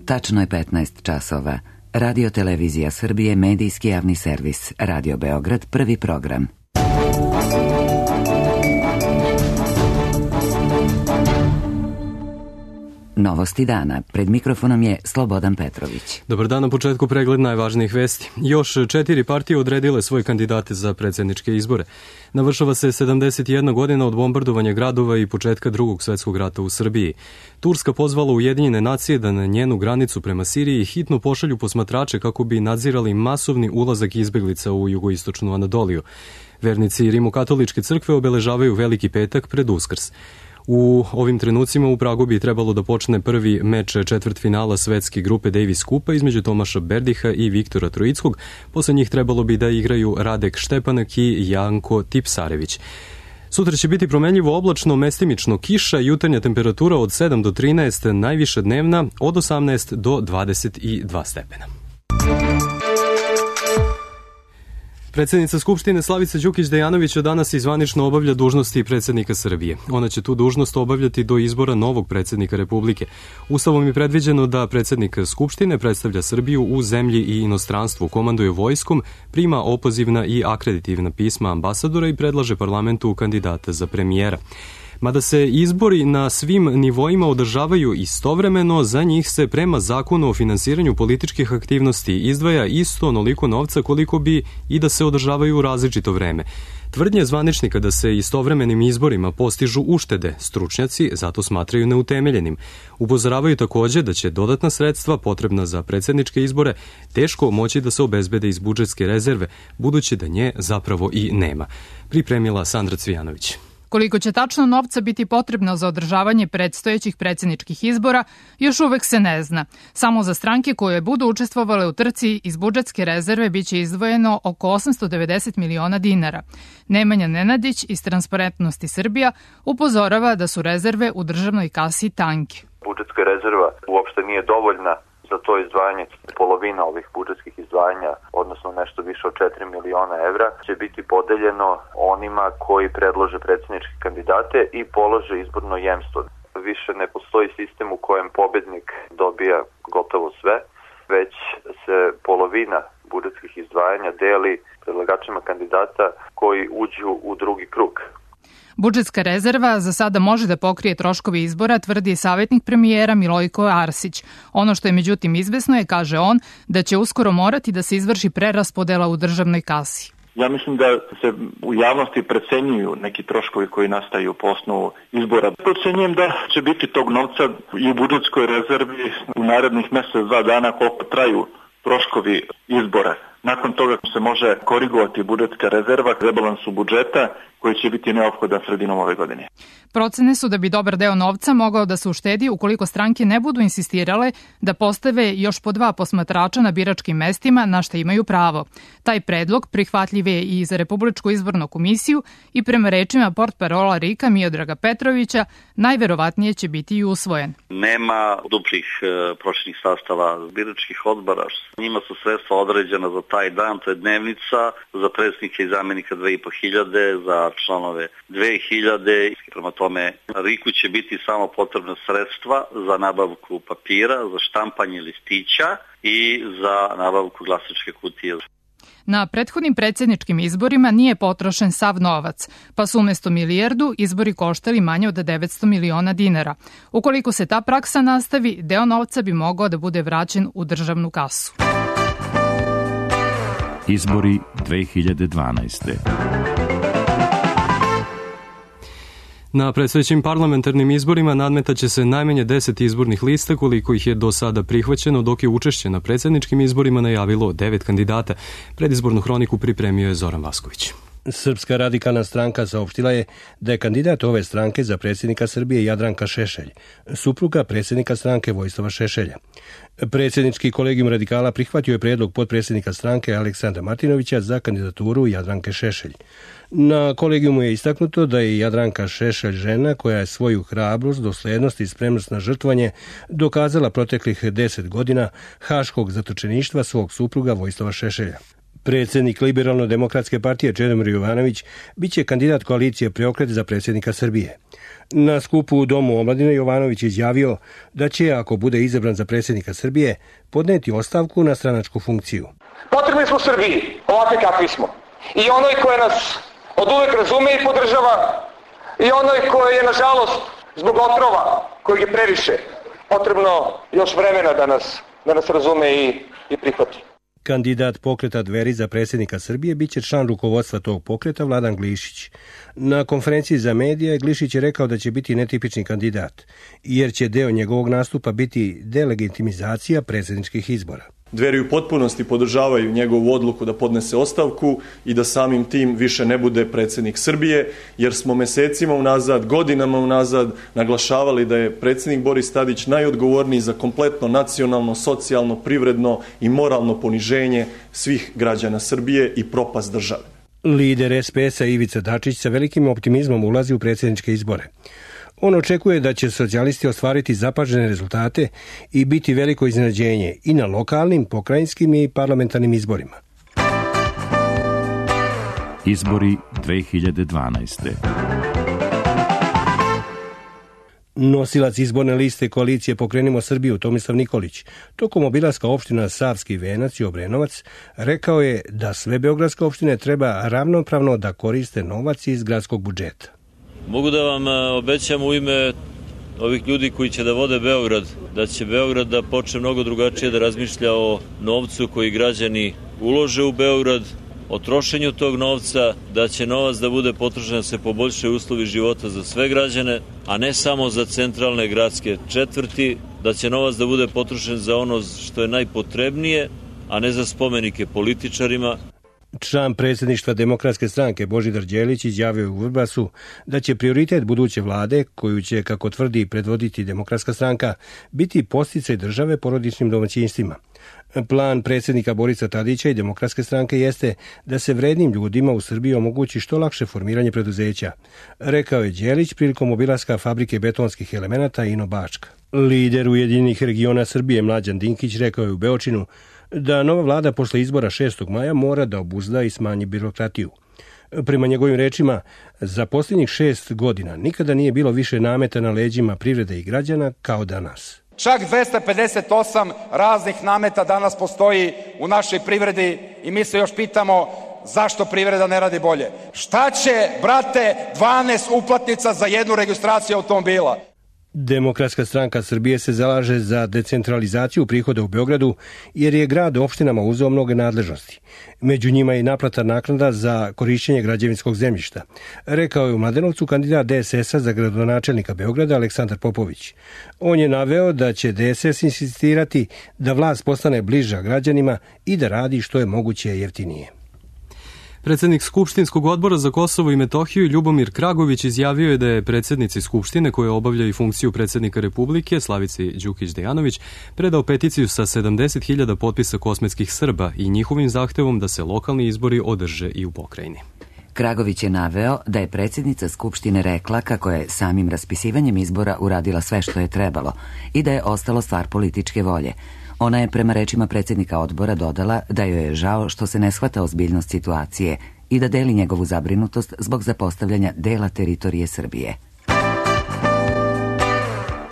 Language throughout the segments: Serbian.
Tačno je 15 časova. Radio Televizija Srbije, medijski javni servis. Radio Beograd, prvi program. Novosti dana. Pred mikrofonom je Slobodan Petrović. Dobar dan, na početku pregled najvažnijih vesti. Još 4 partije odredile svoje kandidate za predsjedničke izbore. Navršava se 71 godina od bombardovanja gradova i početka Drugog svjetskog rata u Srbiji. Turska pozvala Ujedinjene nacije da na njenu granicu prema Siriji hitno pošalju posmatrače kako bi nadzirali masovni ulazak izbjeglica u jugoistočnu Anadoliju. Vernici Rimokatoličke crkve obeležavaju Veliki petak pred Uskrs. U ovim trenucima u Pragu bi trebalo da počne prvi meč četvrtfinala svetske grupe Davis Kupa između Tomaša Berdiha i Viktora Trojickog. Posle njih trebalo bi da igraju Radek Štepanak i Janko Tipsarević. Sutra će biti promenljivo oblačno, mestimično kiša, jutarnja temperatura od 7 do 13, najviša dnevna od 18 do 22 stepena. Predsjednica Skupštine Slavica Đukić Dejanović danas zvanično obavlja dužnosti predsjednika Srbije. Ona će tu dužnost obavljati do izbora novog predsjednika Republike. Ustavom je predviđeno da predsjednik Skupštine predstavlja Srbiju u zemlji i inostranstvu, komanduje vojskom, prima opozivna i akreditivna pisma ambasadora i predlaže parlamentu kandidata za premijera. Mada se izbori na svim nivoima održavaju istovremeno, za njih se prema zakonu o finansiranju političkih aktivnosti izdvaja isto onoliko novca koliko bi i da se održavaju u različito vreme. Tvrdnje zvaničnika da se istovremenim izborima postižu uštede, stručnjaci zato smatraju neutemeljenim. Upozoravaju također da će dodatna sredstva potrebna za predsjedničke izbore teško moći da se obezbede iz budžetske rezerve, budući da nje zapravo i nema. Pripremila Sandra Cvijanović. Koliko će tačno novca biti potrebno za održavanje predstojećih predsjedničkih izbora, još uvek se ne zna. Samo za stranke koje budu učestvovale u trci iz budžetske rezerve biće izdvojeno oko 890 miliona dinara. Nemanja Nenadić iz Transparentnosti Srbija upozorava da su rezerve u državnoj kasi tanke. Budžetska rezerva uopšte nije dovoljna za to izdvajanje. Polovina ovih budžetskih izdvajanja, odnosno nešto više od 4 miliona evra, će biti podeljeno onima koji predlože predsjedničke kandidate i polože izborno jemstvo. Više ne postoji sistem u kojem pobednik dobija gotovo sve, već se polovina budžetskih izdvajanja deli predlagačima kandidata koji uđu u drugi krug. Budžetska rezerva za sada može da pokrije troškove izbora, tvrdi savjetnik premijera Milojko Arsić. Ono što je međutim izvesno je, kaže on, da će uskoro morati da se izvrši preraspodela u državnoj kasi. Ja mislim da se u javnosti precenjuju neki troškovi koji nastaju po osnovu izbora. Procenjujem da će biti tog novca i u budžetskoj rezervi u narednih mjesec, 2 dana koliko traju troškovi izbora. Nakon toga se može korigovati budžetska rezerva rebalansu budžeta koji će biti neophodan sredinom ove godine. Procene su da bi dobar deo novca mogao da se uštedi ukoliko stranke ne budu insistirale da postave još po 2 posmatrača na biračkim mestima na što imaju pravo. Taj predlog prihvatljiv je i za Republičku izbornu komisiju i prema rečima portparola RIK-a Miodraga Petrovića najverovatnije će biti i usvojen. Nema duplih prošlih sastava biračkih odbora. Njima su sredstva određena za taj dan, to je dnevnica, za predsjednike i zamjenika 2.500, za članove 2.000. Prema tome, RIK-u će biti samo potrebna sredstva za nabavku papira, za štampanje listića i za nabavku glasačke kutije. Na prethodnim predsjedničkim izborima nije potrošen sav novac, pa su umjesto milijardu izbori koštali manje od 900 miliona dinara. Ukoliko se ta praksa nastavi, deo novca bi mogao da bude vraćen u državnu kasu. Izbori 2012. Na predstojećim parlamentarnim izborima nadmetaće se najmanje 10 izbornih lista koliko ih je do sada prihvaćeno, dok je učešće na predsjedničkim izborima najavilo 9 kandidata. Predizbornu hroniku pripremio je Zoran Vasković. Srpska radikalna stranka saopštila je da je kandidat ove stranke za predsjednika Srbije Jadranka Šešelj, supruga predsjednika stranke Vojislava Šešelja. Predsjednički kolegijum radikala prihvatio je prijedlog potpredsjednika stranke Aleksandra Martinovića za kandidaturu Jadranke Šešelj. Na kolegijumu je istaknuto da je Jadranka Šešelj žena koja je svoju hrabrost, doslednost i spremnost na žrtvanje dokazala proteklih 10 godina haškog zatočeništva svog supruga Vojislava Šešelja. Predsjednik Liberalno-demokratske partije Čedomir Jovanović biće kandidat koalicije Preokret za predsjednika Srbije. Na skupu u Domu omladine Jovanović izjavio da će, ako bude izabran za predsjednika Srbije, podneti ostavku na stranačku funkciju. Potrebni smo Srbiji, ovakvi kakvi smo. I onoj koja nas od uvek razume i podržava, i onoj koja je, nažalost, zbog otrova kojeg je previše, potrebno još vremena da nas razume i prihvati. Kandidat pokreta Dveri za predsjednika Srbije biće član rukovodstva tog pokreta Vladan Glišić. Na konferenciji za medije Glišić je rekao da će biti netipični kandidat, jer će deo njegovog nastupa biti delegitimizacija predsjedničkih izbora. Dveri u potpunosti podržavaju njegovu odluku da podnese ostavku i da samim tim više ne bude predsjednik Srbije, jer smo mesecima unazad, godinama unazad naglašavali da je predsjednik Boris Tadić najodgovorniji za kompletno nacionalno, socijalno, privredno i moralno poniženje svih građana Srbije i propast države. Lider SPS-a Ivica Dačić sa velikim optimizmom ulazi u predsjedničke izbore. On očekuje da će socijalisti ostvariti zapažene rezultate i biti veliko iznenađenje i na lokalnim, pokrajinskim i parlamentarnim izborima. Izbori 2012. Nosilac izborne liste koalicije Pokrenimo Srbiju Tomislav Nikolić tokom obilaska opština Savski Venac i Obrenovac rekao je da sve beogradske opštine treba ravnopravno da koriste novac iz gradskog budžeta. Mogu da vam obećam u ime ovih ljudi koji će da vode Beograd, da će Beograd da počne mnogo drugačije da razmišlja o novcu koji građani ulože u Beograd, o trošenju tog novca, da će novac da bude potrošen da se poboljšaju uslovi života za sve građane, a ne samo za centralne gradske četvrti, da će novac da bude potrošen za ono što je najpotrebnije, a ne za spomenike političarima. Član predsjedništva Demokratske stranke Božidar Đelić izjavio u Vrbasu da će prioritet buduće vlade, koju će, kako tvrdi, predvoditi Demokratska stranka, biti podsticaj države porodičnim domaćinstvima. Plan predsjednika Borisa Tadića i Demokratske stranke jeste da se vrednim ljudima u Srbiji omogući što lakše formiranje preduzeća, rekao je Đelić prilikom obilaska fabrike betonskih elemenata Ino Bačka. Lider Ujedinjenih regiona Srbije Mlađan Dinkić rekao je u Beočinu da nova vlada posle izbora 6. maja mora da obuzda i smanji birokratiju. Prema njegovim rečima, za posljednjih 6 godina nikada nije bilo više nameta na leđima privrede i građana kao danas. Čak 258 raznih nameta danas postoji u našoj privredi i mi se još pitamo zašto privreda ne radi bolje. Šta će, brate, 12 uplatnica za jednu registraciju automobila? Demokratska stranka Srbije se zalaže za decentralizaciju prihoda u Beogradu jer je grad opštinama uzeo mnoge nadležnosti. Među njima je i naplata naknada za korišćenje građevinskog zemljišta, rekao je u Mladenovcu kandidat DSS-a za gradonačelnika Beograda Aleksandar Popović. On je naveo da će DSS insistirati da vlast postane bliža građanima i da radi što je moguće jeftinije. Predsjednik Skupštinskog odbora za Kosovo i Metohiju Ljubomir Kragović izjavio je da je predsjednici Skupštine, koja obavlja i funkciju predsjednika Republike, Slavici Đukić Dejanović, predao peticiju sa 70.000 potpisa kosmetskih Srba i njihovim zahtevom da se lokalni izbori održe i u pokrajini. Kragović je naveo da je predsjednica Skupštine rekla kako je samim raspisivanjem izbora uradila sve što je trebalo i da je ostalo stvar političke volje. Ona je prema rečima predsjednika odbora dodala da joj je žao što se ne shvata ozbiljnost situacije i da deli njegovu zabrinutost zbog zapostavljanja dela teritorije Srbije.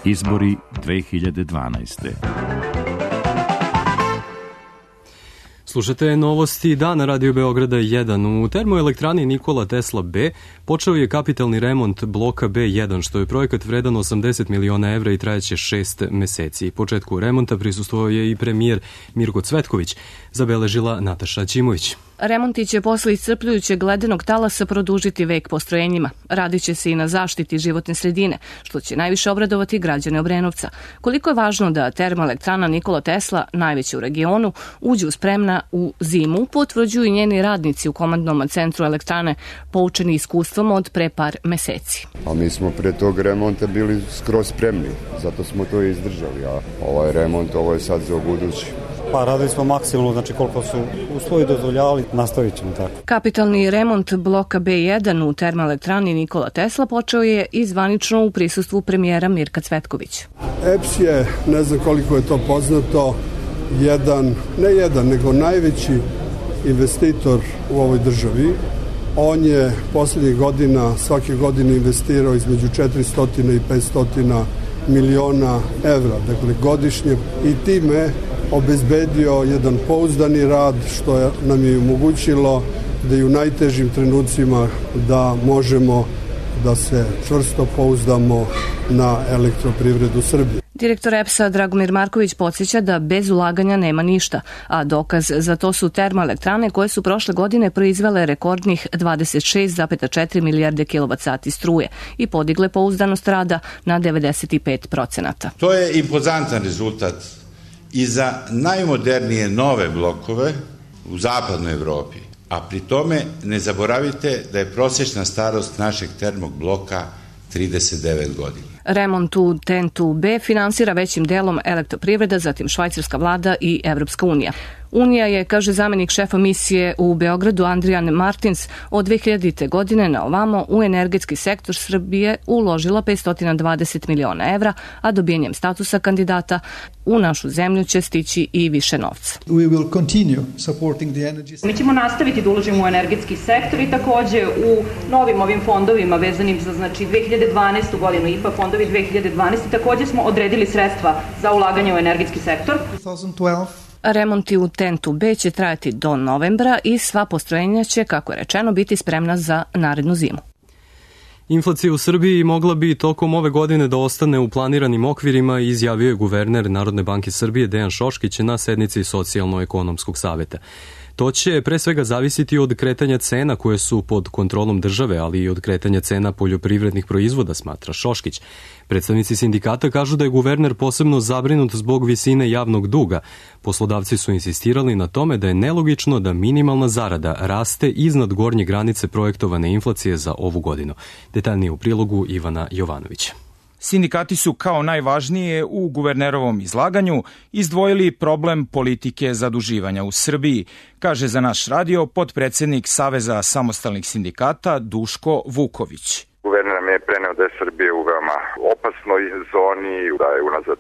Izbori 2012. Slušate novosti dana Radio Beograda 1. U termoelektrani Nikola Tesla B počeo je kapitalni remont bloka B1, što je projekat vredan 80 miliona evra i trajeće 6 meseci. Početku remonta prisustvovao je i premijer Mirko Cvetković, zabeležila Nataša Ćimović. Remonti će posle iscrpljujućeg ledenog talasa produžiti vek postrojenjima. Radit će se i na zaštiti životne sredine, što će najviše obradovati građane Obrenovca. Koliko je važno da termoelektrana Nikola Tesla, najveća u regionu, uđe spremna u zimu, potvrđuju i njeni radnici u komandnom centru elektrane, poučeni iskustvom od pre par meseci. A mi smo pre tog remonta bili skroz spremni, zato smo to izdržali, a ovaj remont, ovo je sad za budući. Pa radili smo maksimalno, znači koliko su uslovi dozvoljavali, nastavit ćemo tako. Kapitalni remont bloka B1 u termoelektrani Nikola Tesla počeo je i zvanično u prisustvu premijera Mirka Cvetković. EPS je, ne znam koliko je to poznato, nego najveći investitor u ovoj državi. On je poslednjih godina, svake godine investirao između 400 i 500 miliona evra, dakle godišnje, i time obezbedio jedan pouzdani rad, što nam je omogućilo da i u najtežim trenucima da možemo da se čvrsto pouzdamo na elektroprivredu Srbije. Direktor EPS-a Dragomir Marković podsjeća da bez ulaganja nema ništa, a dokaz za to su termoelektrane koje su prošle godine proizvele rekordnih 26,4 milijarde kWh struje i podigle pouzdanost rada na 95%. To je impozantan rezultat i za najmodernije nove blokove u zapadnoj Evropi, a pri tome ne zaboravite da je prosječna starost našeg termog bloka 39 godina. Remont u TEN-2B finansira većim delom elektroprivreda, zatim švajcarska vlada i Evropska unija. Unija je, kaže zamenik šefa misije u Beogradu Andrijan Martins, od 2000. godine na ovamo u energetski sektor Srbije uložila 520 miliona evra, a dobijenjem statusa kandidata u našu zemlju će stići i više novca. Mi ćemo nastaviti da uložimo u energetski sektor i takođe u novim ovim fondovima vezanim za 2012. godinu, IPA fondovi 2012. takođe smo odredili sredstva za ulaganje u energetski sektor. Remonti u TEN-2B će trajati do novembra i sva postrojenja će, kako je rečeno, biti spremna za narednu zimu. Inflacija u Srbiji mogla bi tokom ove godine da ostane u planiranim okvirima, izjavio je guverner Narodne banke Srbije Dejan Šoškić na sednici Socijalno-ekonomskog saveta. To će pre svega zavisiti od kretanja cena koje su pod kontrolom države, ali i od kretanja cena poljoprivrednih proizvoda, smatra Šoškić. Predstavnici sindikata kažu da je guverner posebno zabrinut zbog visine javnog duga. Poslodavci su insistirali na tome da je nelogično da minimalna zarada raste iznad gornje granice projektovane inflacije za ovu godinu. Detaljnije u prilogu Ivana Jovanovića. Sindikati su kao najvažnije u guvernerovom izlaganju izdvojili problem politike zaduživanja u Srbiji, kaže za naš radio potpredsednik Saveza samostalnih sindikata Duško Vuković. Guverner nam je preneo da je Srbija u veoma opasnoj zoni, da je unazad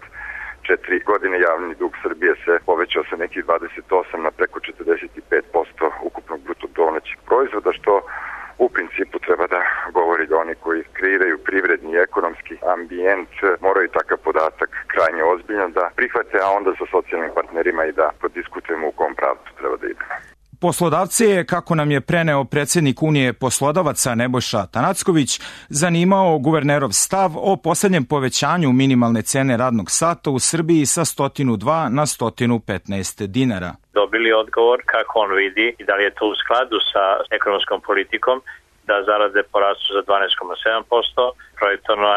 4 godine javni dug Srbije se povećao sa nekih 28 na preko 45% ukupnog bruto domaćeg proizvoda, što u principu treba da govori da oni koji kreiraju privredni i ekonomski ambijent moraju takav podatak krajnje ozbiljno da prihvate, a onda sa socijalnim partnerima i da podiskutujemo u kom pravcu treba da idemo. Poslodavce je, kako nam je preneo predsednik Unije poslodavaca Nebojša Tanacković, zanimao guvernerov stav o poslednjem povećanju minimalne cene radnog sata u Srbiji sa 102 na 115 dinara. Dobili odgovor kako on vidi i da li je to u skladu sa ekonomskom politikom, da zarade porastu za 12,7%, projektovano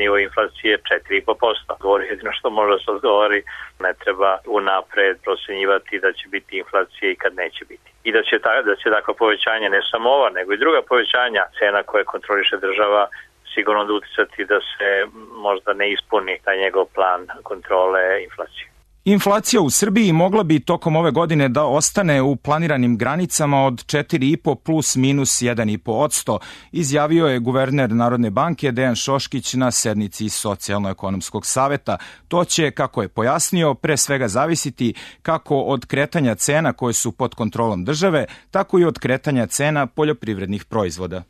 nivo inflacije 4,5%. Govori jedino što može da se odgovori, ne treba unapred procenjivati da će biti inflacija i kad neće biti. I da će takvo povećanje, ne samo ova, nego i druga povećanja cena koje kontroliše država, sigurno da uticati da se možda ne ispuni taj njegov plan kontrole inflacije. Inflacija u Srbiji mogla bi tokom ove godine da ostane u planiranim granicama od 4,5 plus minus 1,5%, izjavio je guverner Narodne banke Dejan Šoškić na sednici Socijalno-ekonomskog saveta. To će, kako je pojasnio, pre svega zavisiti kako od kretanja cena koje su pod kontrolom države, tako i od kretanja cena poljoprivrednih proizvoda.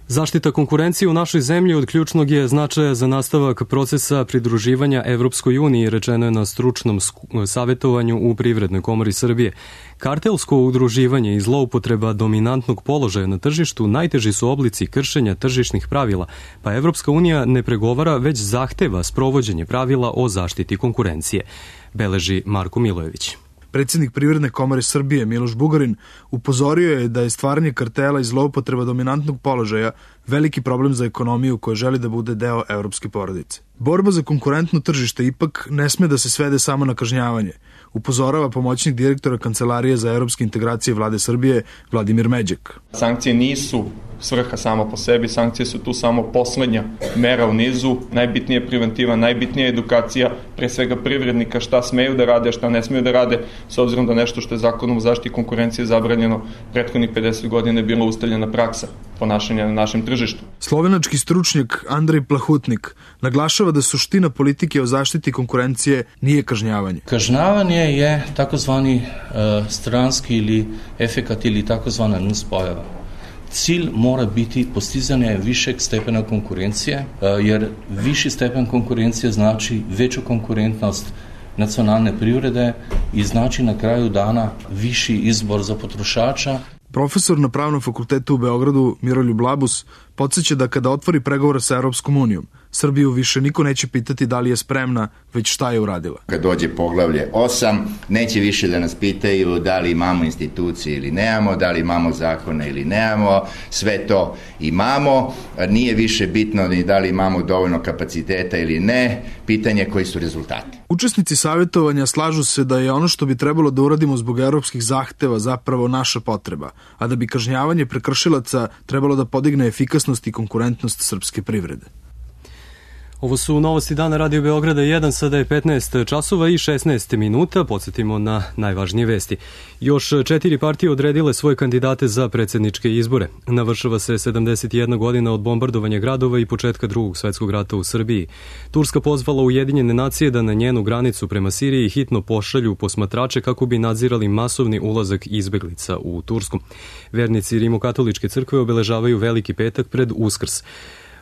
Zaštita konkurencije u našoj zemlji od ključnog je značaja za nastavak procesa pridruživanja Evropskoj uniji, rečeno je na stručnom savetovanju u Privrednoj komori Srbije. Kartelsko udruživanje i zloupotreba dominantnog položaja na tržištu najteži su oblici kršenja tržišnih pravila, pa Evropska unija ne pregovara, već zahteva sprovođenje pravila o zaštiti konkurencije, beleži Marko Milojević. Predsjednik Privredne komore Srbije Miloš Bugarin upozorio je da je stvaranje kartela i zloupotreba dominantnog položaja veliki problem za ekonomiju koja želi da bude deo evropske porodice. Borba za konkurentno tržište ipak ne sme da se svede samo na kažnjavanje, upozorava pomoćnik direktora Kancelarije za evropske integracije Vlade Srbije Vladimir Međek. Sankcije nisu svrha samo po sebi, sankcije su tu samo poslednja mera u nizu, najbitnija je preventiva, najbitnija je edukacija, pre svega privrednika šta smeju da rade, šta ne smeju da rade, s obzirom da nešto što je zakonom o zaštiti konkurencije zabranjeno prethodnih 50 godina je bila ustaljena praksa. ponašanja na našem tržištu. Slovenački stručnjak Andrej Plahutnik naglašava da suština politike o zaštiti konkurencije nije kažnjavanje. Kažnjavanje je takozvani stranski ili efekat ili takozvana nuspojava. Cilj mora biti postizanje višeg stepena konkurencije, jer viši stepen konkurencije znači veću konkurentnost nacionalne privrede i znači na kraju dana viši izbor za potrošača. Profesor na Pravnom fakultetu u Beogradu Miroljub Labus podsjeća da kada otvori pregovore sa Europskom unijom, Srbiju više niko neće pitati da li je spremna, već šta je uradila. Kad dođe poglavlje 8, neće više da nas pitaju da li imamo institucije ili nemamo, da li imamo zakone ili nemamo, sve to imamo, nije više bitno ni da li imamo dovoljno kapaciteta ili ne, pitanje koji su rezultati. Učesnici savjetovanja slažu se da je ono što bi trebalo da uradimo zbog europskih zahteva zapravo naša potreba, a da bi kažnjavanje prekršilaca trebalo da podigne efikasnost i konkurentnost srpske privrede. Ovo su novosti dana Radio Beograda 1, sada je 15 časova i 16 minuta. Podsjetimo na najvažnije vesti. Još 4 partije odredile svoje kandidate za predsjedničke izbore. Navršava se 71 godina od bombardovanja gradova i početka Drugog svetskog rata u Srbiji. Turska pozvala Ujedinjene nacije da na njenu granicu prema Siriji hitno pošalju posmatrače kako bi nadzirali masovni ulazak izbeglica u Tursku. Vernici Rimokatoličke crkve obeležavaju Veliki petak pred Uskrs.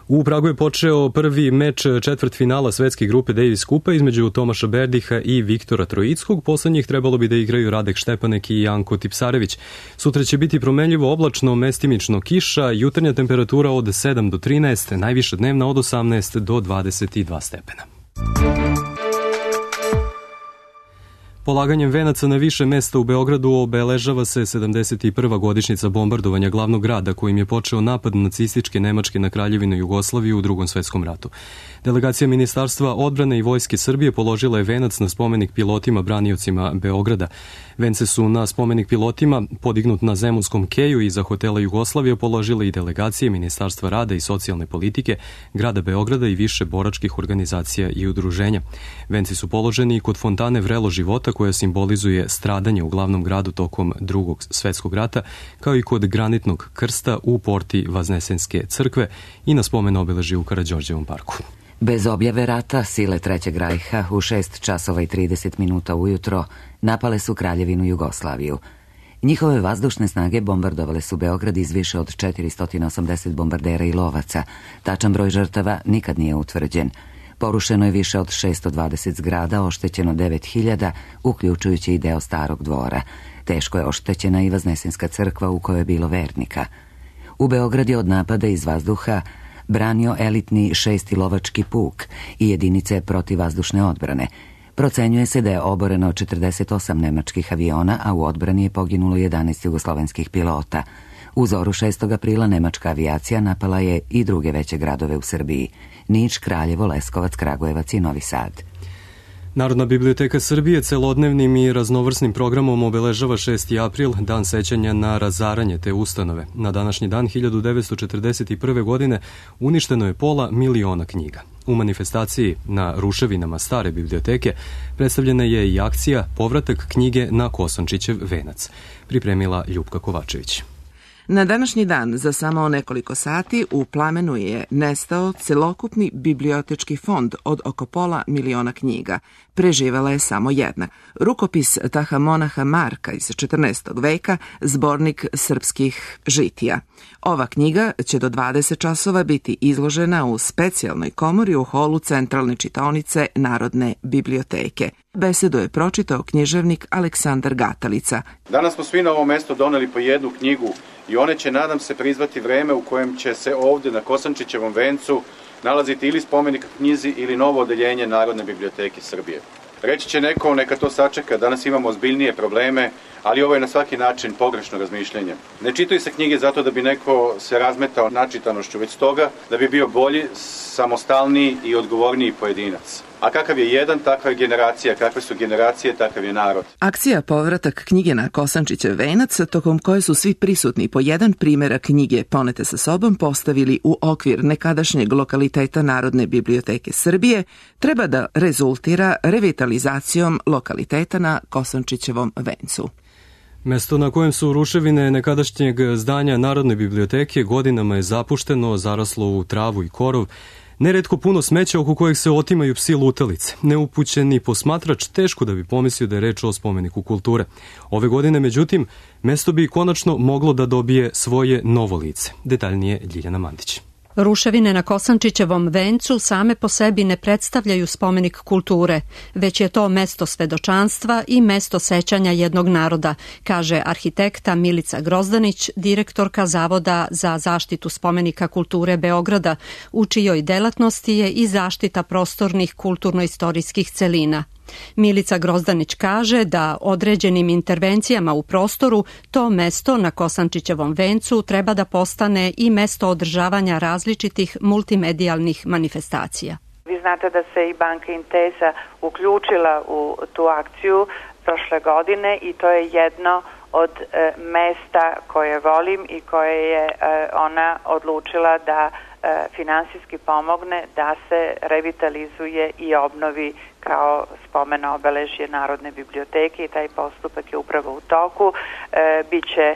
U Pragu je počeo prvi meč četvrtfinala svetske grupe Davis Kupa između Tomaša Berdiha i Viktora Trojickog. Poslednjih trebalo bi da igraju Radek Štepanek i Janko Tipsarević. Sutra će biti promenljivo oblačno, mestimično kiša, jutarnja temperatura od 7 do 13, najviša dnevna od 18 do 22 stepena. Polaganjem venaca na više mesta u Beogradu obeležava se 71. godišnjica bombardovanja glavnog grada kojim je počeo napad nacističke Nemačke na Kraljevinu Jugoslaviju u Drugom svetskom ratu. Delegacija Ministarstva odbrane i Vojske Srbije položila je venac na spomenik pilotima braniocima Beograda. Vence su na spomenik pilotima podignut na Zemunskom keju iza hotela Jugoslavije položile i delegacije Ministarstva rada i socijalne politike, grada Beograda i više boračkih organizacija i udruženja. Venci su položeni i kod fontane Vrelo života koja simbolizuje stradanje u glavnom gradu tokom Drugog svetskog rata, kao i kod granitnog krsta u porti Vaznesenske crkve i na spomen obeležju u Karađorđevom parku. Bez objave rata, sile Trećeg rajha u 6 časova i 30 minuta ujutro napale su Kraljevinu Jugoslaviju. Njihove vazdušne snage bombardovale su Beograd iz više od 480 bombardera i lovaca. Tačan broj žrtava nikad nije utvrđen. Porušeno je više od 620 zgrada, oštećeno 9000, uključujući i deo Starog dvora. Teško je oštećena i Vaznesenska crkva u kojoj je bilo vernika. U Beograd je od napada iz vazduha branio elitni 6. lovački puk i jedinice protivvazdušne odbrane. Procenjuje se da je oboreno 48 nemačkih aviona, a u odbrani je poginulo 11 jugoslovenskih pilota. U zoru 6. aprila nemačka avijacija napala je i druge veće gradove u Srbiji: Niš, Kraljevo, Leskovac, Kragujevac i Novi Sad. Narodna biblioteka Srbije celodnevnim i raznovrsnim programom obeležava 6. april, dan sećanja na razaranje te ustanove. Na današnji dan 1941. godine uništeno je 500.000 knjiga. U manifestaciji na ruševinama stare biblioteke predstavljena je i akcija Povratak knjige na Kosančićev venac. Pripremila Ljupka Kovačević. Na današnji dan, za samo nekoliko sati, u plamenu je nestao celokupni bibliotečki fond od oko 500.000 knjiga. Preživela je samo jedna. Rukopis Tahamonaha Marka iz 14. veka, zbornik srpskih žitija. Ova knjiga će do 20 časova biti izložena u specijalnoj komori u holu Centralne čitaonice Narodne biblioteke. Besedu je pročitao književnik Aleksandar Gatalica. Danas smo svi na ovom mestu doneli po jednu knjigu i one će, nadam se, prizvati vreme u kojem će se ovde na Kosančićevom vencu nalaziti ili spomenik knjizi ili novo odeljenje Narodne biblioteke Srbije. Reći će neko, neka to sačeka, danas imamo ozbiljnije probleme, ali ovo je na svaki način pogrešno razmišljanje. Ne čitaju se knjige zato da bi neko se razmetao načitanošću, već stoga da bi bio bolji, samostalniji i odgovorniji pojedinac. A kakav je jedan, takva je generacija, kakve su generacije, takav je narod. Akcija Povratak knjige na Kosančićev venac, tokom koje su svi prisutni po jedan primjerak knjige ponete sa sobom postavili u okvir nekadašnjeg lokaliteta Narodne biblioteke Srbije, treba da rezultira revitalizacijom lokaliteta na Kosančićevom vencu. Mesto na kojem su ruševine nekadašnjeg zdanja Narodne biblioteke godinama je zapušteno, zaraslo u travu i korov, neretko puno smeća oko kojeg se otimaju psi lutalice. Neupućeni posmatrač teško da bi pomislio da je reč o spomeniku kulture. Ove godine, međutim, mesto bi konačno moglo da dobije svoje novo lice. Detaljnije Ljiljana Mandić. Ruševine na Kosančićevom vencu same po sebi ne predstavljaju spomenik kulture, već je to mesto svedočanstva i mesto sećanja jednog naroda, kaže arhitekta Milica Grozdanić, direktorka Zavoda za zaštitu spomenika kulture Beograda, u čijoj delatnosti je i zaštita prostornih kulturno-istorijskih celina. Milica Grozdanić kaže da određenim intervencijama u prostoru to mesto na Kosančićevom vencu treba da postane i mesto održavanja različitih multimedijalnih manifestacija. Vi znate da se i Banka Intesa uključila u tu akciju prošle godine i to je jedno od mesta koje volim i koje je ona odlučila da finansijski pomogne da se revitalizuje i obnovi kao spomen obeležje Narodne biblioteke i taj postupak je upravo u toku. Biće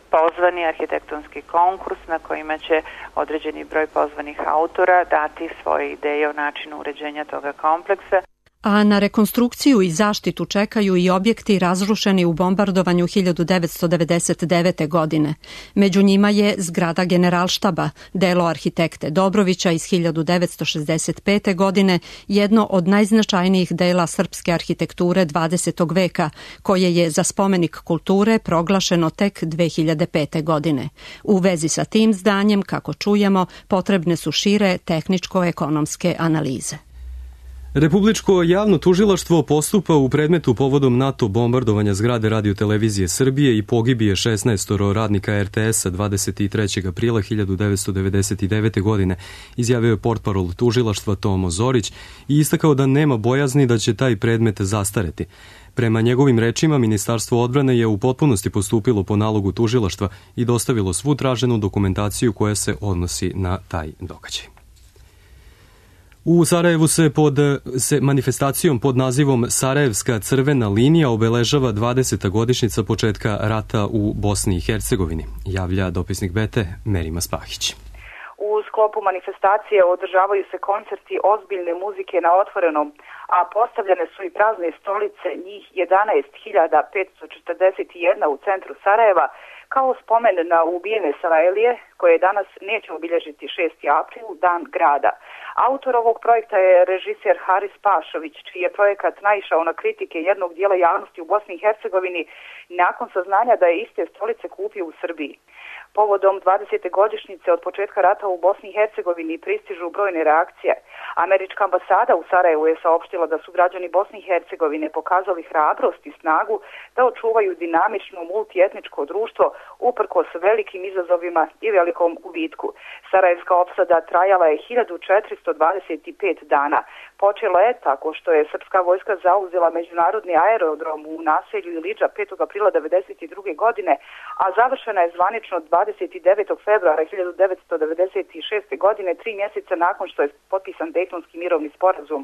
pozvani arhitektonski konkurs na kojima će određeni broj pozvanih autora dati svoje ideje o načinu uređenja toga kompleksa. A na rekonstrukciju i zaštitu čekaju i objekti razrušeni u bombardovanju 1999. godine. Među njima je zgrada Generalštaba, delo arhitekte Dobrovića iz 1965. godine, jedno od najznačajnijih dela srpske arhitekture 20. veka, koje je za spomenik kulture proglašeno tek 2005. godine. U vezi sa tim zdanjem, kako čujemo, potrebne su šire tehničko-ekonomske analize. Republičko javno tužilaštvo postupa u predmetu povodom NATO bombardovanja zgrade Radio-televizije Srbije i pogibije 16 radnika RTS-a 23. aprila 1999. godine, izjavio je portparol tužilaštva Tomo Zorić i istakao da nema bojazni da će taj predmet zastareti. Prema njegovim rečima, Ministarstvo odbrane je u potpunosti postupilo po nalogu tužilaštva i dostavilo svu traženu dokumentaciju koja se odnosi na taj događaj. U Sarajevu se manifestacijom pod nazivom Sarajevska crvena linija obeležava 20. godišnjica početka rata u Bosni i Hercegovini, javlja dopisnik BT Merima Spahić. U sklopu manifestacije održavaju se koncerti ozbiljne muzike na otvorenom, a postavljene su i prazne stolice, njih 11.541 u centru Sarajeva, kao spomen na ubijene Sarajlije, koje danas neće obilježiti 6. april, dan grada. Autor ovog projekta je režiser Haris Pašović, čiji je projekat naišao na kritike jednog dijela javnosti u Bosni i Hercegovini nakon saznanja da je iste stolice kupio u Srbiji. Povodom 20. godišnjice od početka rata u Bosni i Hercegovini pristižu brojne reakcije. Američka ambasada u Sarajevu je saopštila da su građani Bosne i Hercegovine pokazali hrabrost i snagu da očuvaju dinamično multietničko društvo uprkos velikim izazovima i velikom gubitku. Sarajevska opsada trajala je 1425 dana. Počela je tako što je srpska vojska zauzela međunarodni aerodrom u naselju Ilidža 5. aprila 1992. godine, a završena je zvanično 29. februara 1996. godine, 3 mjeseca nakon što je potpisan Dejtonski mirovni sporazum.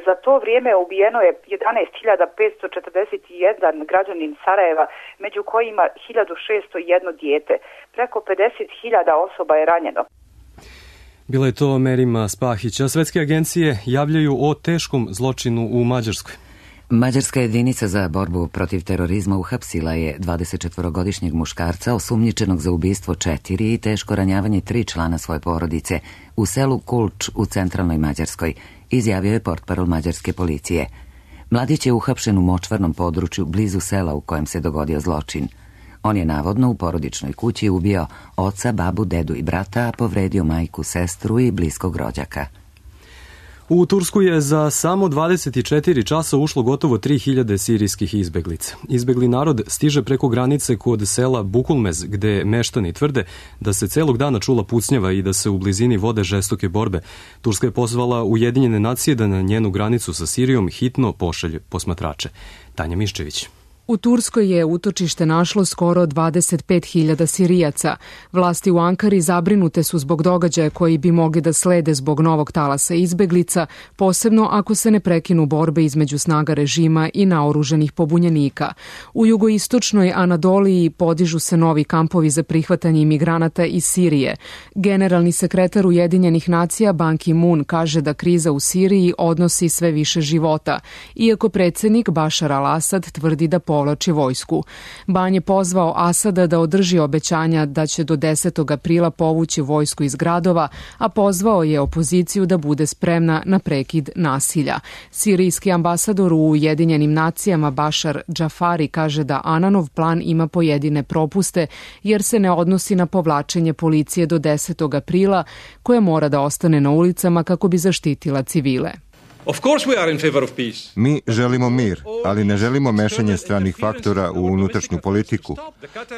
Za to vrijeme ubijeno je 11.541 građanin Sarajeva, među kojima 1.601 dijete. Preko 50.000 osoba je ranjeno. Bila je to Merima Spahić, a svetske agencije javljaju o teškom zločinu u Mađarskoj. Mađarska jedinica za borbu protiv terorizma uhapsila je 24-godišnjeg muškarca osumnjičenog za ubistvo 4 i teško ranjavanje 3 člana svoje porodice u selu Kulč u centralnoj Mađarskoj, izjavio je portparol mađarske policije. Mladić je uhapšen u močvarnom području blizu sela u kojem se dogodio zločin. On je navodno u porodičnoj kući ubio oca, babu, dedu i brata, a povredio majku, sestru i bliskog rođaka. U Tursku je za samo 24 časa ušlo gotovo 3000 sirijskih izbeglica. Izbegli narod stiže preko granice kod sela Bukulmez, gde meštani tvrde da se celog dana čula pucnjava i da se u blizini vode žestoke borbe. Turska je pozvala Ujedinjene nacije da na njenu granicu sa Sirijom hitno pošalje posmatrače. Tanja Miščević. U Turskoj je utočište našlo skoro 25.000 Sirijaca. Vlasti u Ankari zabrinute su zbog događaja koji bi mogli da slede zbog novog talasa izbeglica, posebno ako se ne prekinu borbe između snaga režima i naoruženih pobunjenika. U jugoistočnoj Anadoliji podižu se novi kampovi za prihvatanje imigranata iz Sirije. Generalni sekretar Ujedinjenih nacija Ban Ki-moon kaže da kriza u Siriji odnosi sve više života, iako predsjednik Bašar al-Asad tvrdi da povlači vojsku. Ban je pozvao Asada da održi obećanja da će do 10. aprila povući vojsku iz gradova, a pozvao je opoziciju da bude spremna na prekid nasilja. Sirijski ambasador u Ujedinjenim nacijama Bašar Džafari kaže da Ananov plan ima pojedine propuste jer se ne odnosi na povlačenje policije do 10. aprila koja mora da ostane na ulicama kako bi zaštitila civile. Mi želimo mir, ali ne želimo mešanje stranih faktora u unutrašnju politiku.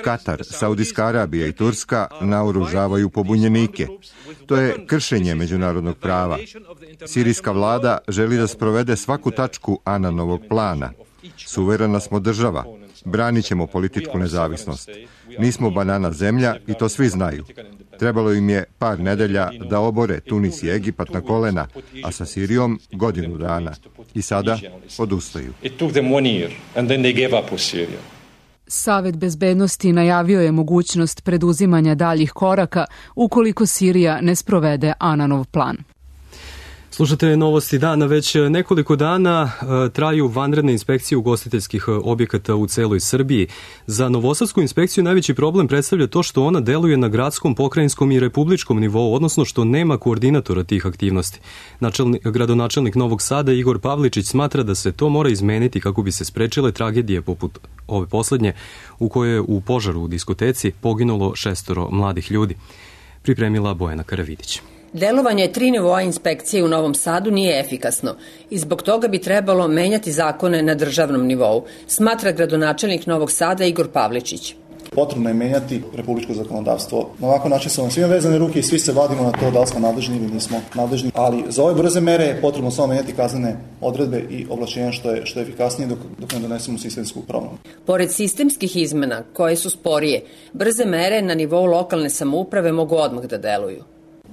Katar, Saudijska Arabija i Turska naoružavaju pobunjenike. To je kršenje međunarodnog prava. Sirijska vlada želi da sprovede svaku tačku Ananovog plana. Suverena smo država. Branit ćemo političku nezavisnost. Nismo banana zemlja i to svi znaju. Trebalo im je par nedelja da obore Tunis i Egipat na kolena, a sa Sirijom godinu dana. I sada odustaju. Savet bezbednosti najavio je mogućnost preduzimanja daljih koraka ukoliko Sirija ne sprovede Ananov plan. Slušate novosti dana. Već nekoliko dana traju vanredne inspekcije ugostiteljskih objekata u celoj Srbiji. Za Novosadsku inspekciju najveći problem predstavlja to što ona deluje na gradskom, pokrajinskom i republičkom nivou, odnosno što nema koordinatora tih aktivnosti. Gradonačelnik Novog Sada Igor Pavličić smatra da se to mora izmeniti kako bi se sprečile tragedije poput ove poslednje u kojoj je u požaru u diskoteci poginulo 6 mladih ljudi. Pripremila Bojana Karavidić. Delovanje 3 nivoa inspekcije u Novom Sadu nije efikasno i zbog toga bi trebalo menjati zakone na državnom nivou, smatra gradonačelnik Novog Sada Igor Pavličić. Potrebno je menjati republičko zakonodavstvo. Na ovakav način su nam svima vezane ruke i svi se vadimo na to da li smo nadležni ili nismo nadležni. Ali za ove brze mere je potrebno samo menjati kaznene odredbe i ovlašćenja što je efikasnije dok ne donesemo sistemsku promenu. Pored sistemskih izmena koje su sporije, brze mere na nivou lokalne samouprave mogu odmah da deluju.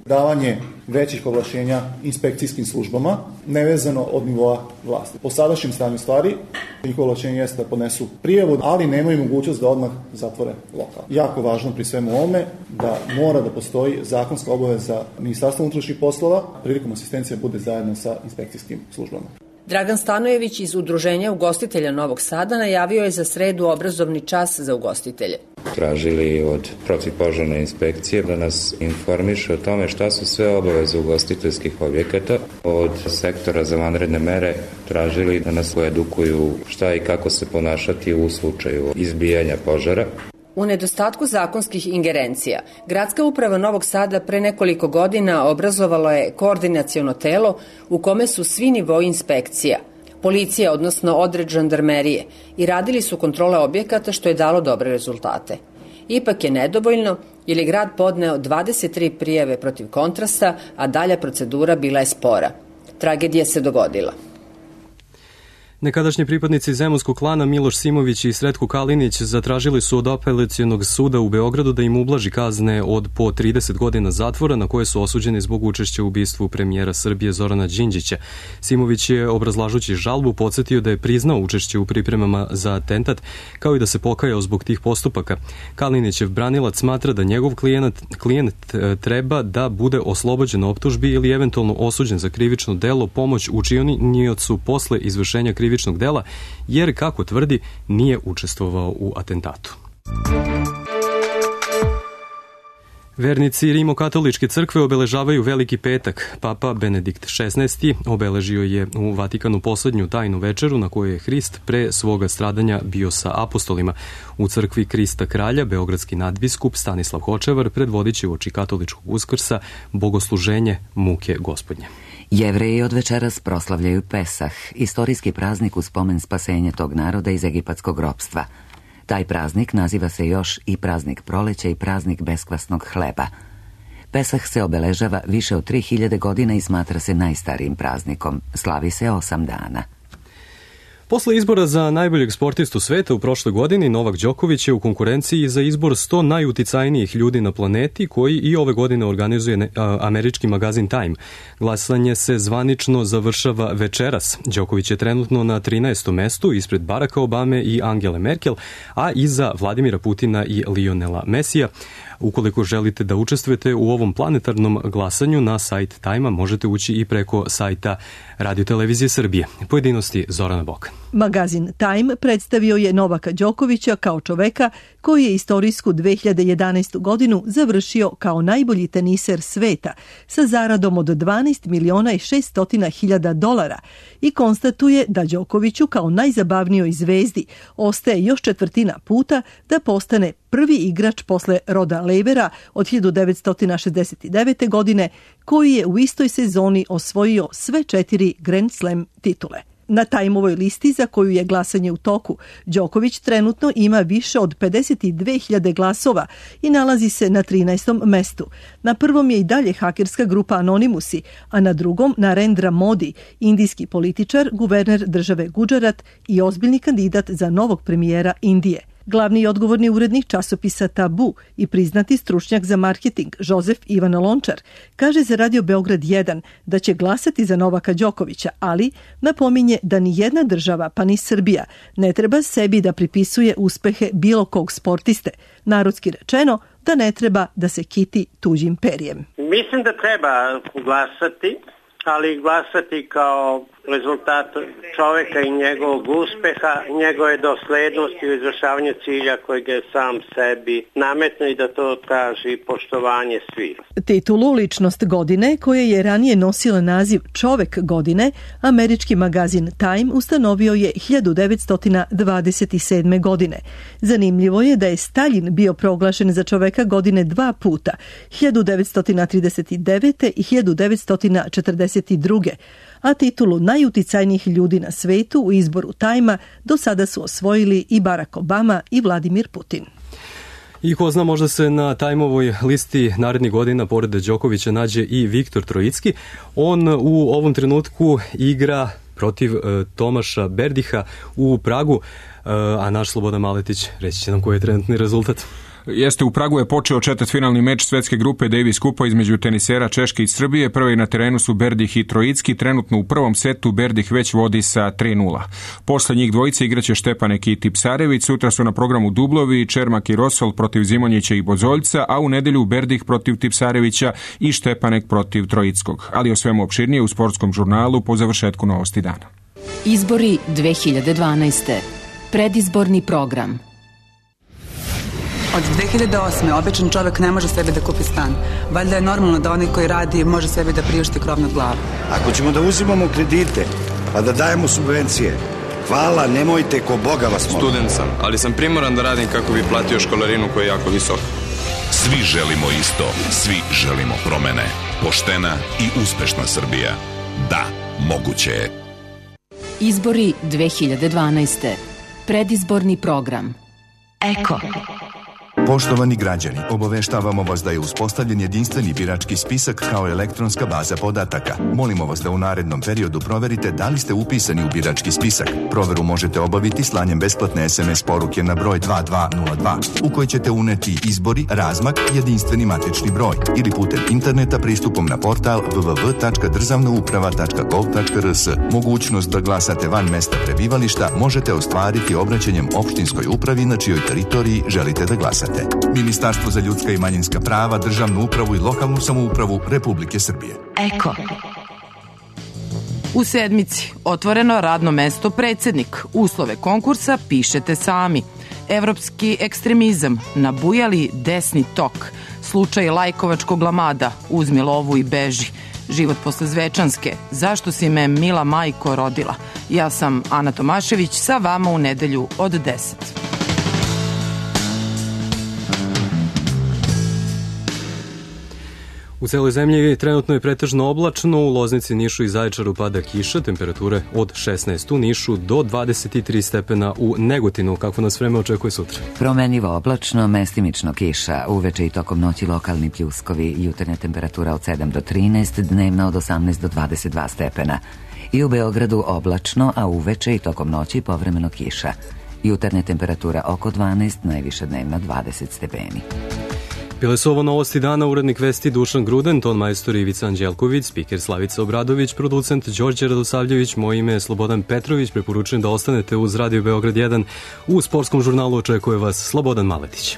Davanje većih ovlašćenja inspekcijskim službama, nevezano od nivoa vlasti. Po sadašnjem stanju stvari, njihovo ovlašćenje jeste da podnesu prijavu, ali nemaju mogućnost da odmah zatvore lokal. Jako važno pri svemu ovome da mora da postoji zakonska obaveza Ministarstva unutrašnjih poslova, prilikom asistencija bude zajedno sa inspekcijskim službama. Dragan Stanojević iz Udruženja ugostitelja Novog Sada najavio je za sredu obrazovni čas za ugostitelje. Tražili od protivpožarne inspekcije da nas informiše o tome šta su sve obaveze ugostiteljskih objekata. Od sektora za vanredne mere tražili da nas edukuju šta i kako se ponašati u slučaju izbijanja požara. U nedostatku zakonskih ingerencija, Gradska uprava Novog Sada pre nekoliko godina obrazovalo je koordinaciono telo u kome su svi nivoi inspekcija, policija, odnosno odred žandarmerije, i radili su kontrole objekata što je dalo dobre rezultate. Ipak je nedovoljno jer je grad podneo 23 prijave protiv Kontrasta, a dalja procedura bila je spora. Tragedija se dogodila. Nekadašnji pripadnici zemunskog klana Miloš Simović i Sretko Kalinić zatražili su od apelacionog suda u Beogradu da im ublaži kazne od po 30 godina zatvora na koje su osuđeni zbog učešća u ubistvu premijera Srbije Zorana Đinđića. Simović je, obrazlažući žalbu, podsjetio da je priznao učešće u pripremama za atentat, kao i da se pokajao zbog tih postupaka. Kalinićev branilac smatra da njegov klijent treba da bude oslobođen optužbi ili eventualno osuđen za krivično delo pomoć učiniocu posle izvršenja krivičnog dela, jer, kako tvrdi, nije učestvovao u atentatu. Vernici Rimokatoličke crkve obeležavaju Veliki petak. Papa Benedikt XVI obeležio je u Vatikanu poslednju tajnu večeru na kojoj je Hrist pre svoga stradanja bio sa apostolima. U crkvi Krista Kralja beogradski nadbiskup Stanislav Hočevar predvodit će uoči katoličkog Uskrsa bogosluženje muke Gospodnje. Jevreji od večeras proslavljaju Pesah, istorijski praznik u spomen spasenja tog naroda iz egipatskog ropstva. Taj praznik naziva se još i praznik proleća i praznik beskvasnog hleba. Pesah se obeležava više od 3000 godina i smatra se najstarijim praznikom. Slavi se 8 dana. Posle izbora za najboljeg sportistu sveta u prošloj godini, Novak Đoković je u konkurenciji za izbor 100 najuticajnijih ljudi na planeti, koji i ove godine organizuje američki magazin Time. Glasanje se zvanično završava večeras. Đoković je trenutno na 13. mestu ispred Baracka Obame i Angele Merkel, a iza Vladimira Putina i Lionela Mesija. Ukoliko želite da učestvujete u ovom planetarnom glasanju, na sajt Time-a možete ući i preko sajta Radio-televizije Srbije. Pojedinosti Zorana Bokan. Magazin Time predstavio je Novaka Đokovića kao čoveka koji je istorijsku 2011. godinu završio kao najbolji teniser sveta sa zaradom od 12.600.000 dolara i konstatuje da Đokoviću kao najzabavnijoj zvezdi ostaje još četvrtina puta da postane prvi igrač posle Roda Levera od 1969. godine, koji je u istoj sezoni osvojio sve 4 Grand Slam titule. Na Time-ovoj listi za koju je glasanje u toku, Đoković trenutno ima više od 52.000 glasova i nalazi se na 13. mestu. Na prvom je i dalje hakerska grupa Anonymusi, a na drugom Narendra Modi, indijski političar, guverner države Gudžarat i ozbiljni kandidat za novog premijera Indije. Glavni i odgovorni urednik časopisa Tabu i priznati stručnjak za marketing Jozef Ivan Lončar kaže za Radio Beograd 1 da će glasati za Novaka Đokovića, ali napominje da ni jedna država, pa ni Srbija, ne treba sebi da pripisuje uspehe bilo kog sportiste. Narodski rečeno, da ne treba da se kiti tuđim perjem. Mislim da treba glasati, ali glasati kao rezultat čoveka i njegovog uspeha, njegove doslednosti u izvršavanju cilja kojeg je sam sebi nametno i da to traži poštovanje svih. Titulu Ličnost godine, koje je ranije nosila naziv Čovek godine, američki magazin Time ustanovio je 1927. godine. Zanimljivo je da je Staljin bio proglašen za čoveka godine 2 puta, 1939. i 1942. a titulu najuticajnijih ljudi na svetu u izboru Time-a do sada su osvojili i Barack Obama i Vladimir Putin. I ko zna, možda se na Time-ovoj listi narednih godina pored Đokovića nađe i Viktor Trojicki. On u ovom trenutku igra protiv Tomaša Berdiha u Pragu, a naš Slobodan Maletić reći će nam koji je trenutni rezultat. Jeste, u Pragu je počeo četvrtfinalni meč svetske grupe Davis Kupa između tenisera Češke i Srbije. Prvi na terenu su Berdih i Trojicki. Trenutno u prvom setu Berdih već vodi sa 3:0. Posle njih dvojice igraće Štepanek i Tipsarević. Sutra su na programu dublovi Čermak i Rosol protiv Zimonjića i Bozoljca, a u nedelju Berdih protiv Tipsarevića i Štepanek protiv Trojickog. Ali o svemu opširnije u sportskom žurnalu po završetku Novosti dana. Izbori 2012. Predizborni program. Od 2008. običan čovek ne može sebi da kupi stan. Valjda je normalno da onaj koji radi može sebi da priušti krov nad glavom. Ako ćemo da uzimamo kredite, pa da dajemo subvencije, hvala, nemojte, ko Boga vas molim. Student sam, ali sam primoran da radim kako bi platio školarinu koja je jako visoka. Svi želimo isto, svi želimo promene. Poštena i uspešna Srbija. Da, moguće je. Izbori 2012. Predizborni program. Eko. Poštovani građani, obaveštavamo vas da je uspostavljen jedinstveni birački spisak kao elektronska baza podataka. Molimo vas da u narednom periodu proverite da li ste upisani u birački spisak. Proveru možete obaviti slanjem besplatne SMS poruke na broj 2202 u kojoj ćete uneti izbori, razmak, jedinstveni matični broj ili putem interneta pristupom na portal www.državnauprava.gov.rs. Mogućnost da glasate van mesta prebivališta možete ostvariti obraćanjem opštinskoj upravi na čijoj teritoriji želite da glasate. Ministarstvo za ljudska i manjinska prava, državnu upravu i lokalnu samoupravu Republike Srbije. Eko. U sedmici otvoreno radno mesto predsednik. Uslove konkursa pišete sami. Evropski ekstremizam, nabujali desni tok. Slučaj Lajkovačkog lamada, uzmi lovu i beži. Život posle Zvečanske, zašto si me mila majko rodila? Ja sam Ana Tomašević, sa vama u nedelju od 10. U celoj zemlji trenutno je pretežno oblačno, u Loznici, Nišu i Zaječaru pada kiša, temperature od 16 u Nišu do 23 stepena u Negotinu. Kako nas vreme očekuje sutra? Promenljivo oblačno, mestimično kiša, uveče i tokom noći lokalni pljuskovi, jutarnja temperatura od 7 do 13, dnevna od 18 do 22 stepena. I u Beogradu oblačno, a uveče i tokom noći povremeno kiša. Jutarnja temperatura oko 12, najviša dnevna 20 stepeni. Bile su ovo novosti dana, urednik vesti Dušan Gruden, ton majstor Ivica Anđelković, spiker Slavica Obradović, producent Đorđe Radosavljević, moje ime je Slobodan Petrović, preporučujem da ostanete uz Radio Beograd 1. U sportskom žurnalu očekuje vas Slobodan Maletić.